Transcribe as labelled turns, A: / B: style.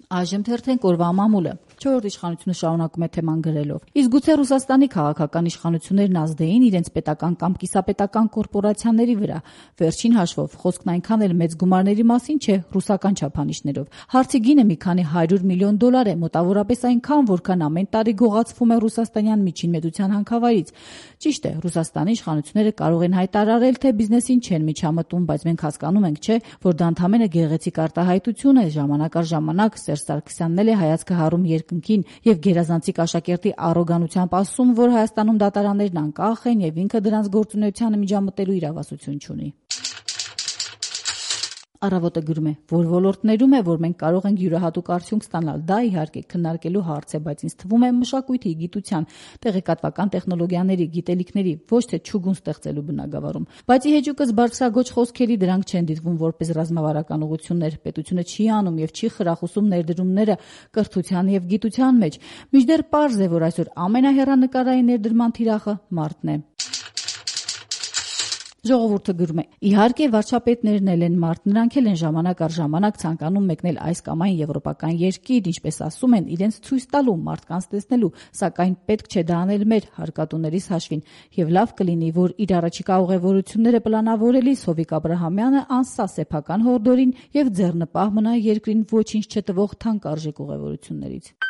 A: Այժմ թերթենք օրվա մամուլը։ 4-րդ իշխանությունը շարունակում է թեման գրելով. իսկ գուցե Ռուսաստանի քաղաքական իշխանություններն ազդեին իրենց պետական կամ կիսապետական կորպորացիաների վրա։ Վերջին հաշվով խոսքն այնքան էլ մեծ գումարների մասին չէ ռուսական չափանիշներով։ Հարցի գինը մի քանի $100 միլիոն է, մոտավորապես այնքան, որքան ամեն տարի գողացվում է ռուսաստանյան միջին մեծության հանքավայրից։ Ճիշտ է, Ռուսաստանի իշխանությունները կարող են հայտարարել, թե բիզնեսին չեն միջամտում, բայց մենք հասկանում ենք, չէ, որ դա ընդամենը գեղեցիկ արտահայտություն է, ժամանակ առ ժամանակ Սերժ Սարգսյանն էլ է հայացքը հառում երկնքին եւ գերազանցիկ աշակերտի առոգանությամբ ասում, որ Հայաստանում դատարաններն անկախ են եւ ինքը դրանց գործունեությանը միջամտելու իրավասություն չունի։ Առավոտը գրում է, որ ոլորտներում է, որ մենք կարող ենք յուրահատուկ արդյունք ստանալ, դա իհարկե քննարկելու հարց է, բայց ինձ թվում է մշակույթի, գիտության, տեղեկատվական տեխնոլոգիաների, գիտելիքների, ոչ թե չուգուն ստեղծելու բնագավառում։ Բայց ի հեճուկս բարձրագույն խոսքերի դրանք չեն դիտվում որպես ռազմավարական ուղղություններ, պետությունը չի անում եւ չի խրախուսում ներդրումները կրթության եւ գիտության մեջ։ Մինչդեռ պարզ է, որ այսօր ամենահեռանկարային ներդրման թիրախը մարդն է։ Ժողովուրդը գրում է. իհարկե վարչապետներն էլ են մարդ, նրանք էլ են ժամանակ առ ժամանակ ցանկանում մեկնել այս կամ այն եվրոպական երկիր, ինչպես ասում են, իրենց ցույց տալու, մարդկանց տեսնելու, սակայն պետք չէ դա անել մեր հարկատուներիս հաշվին։ Եվ լավ կլինի, որ իր առաջիկա ուղևորությունները պլանավորելիս Հովիկ Աբրահամյանը անսա սեփական հորդորին եւ ձեռնպահ մնա երկրին ոչինչ չտվող թանկարժեք ուղևորություններից։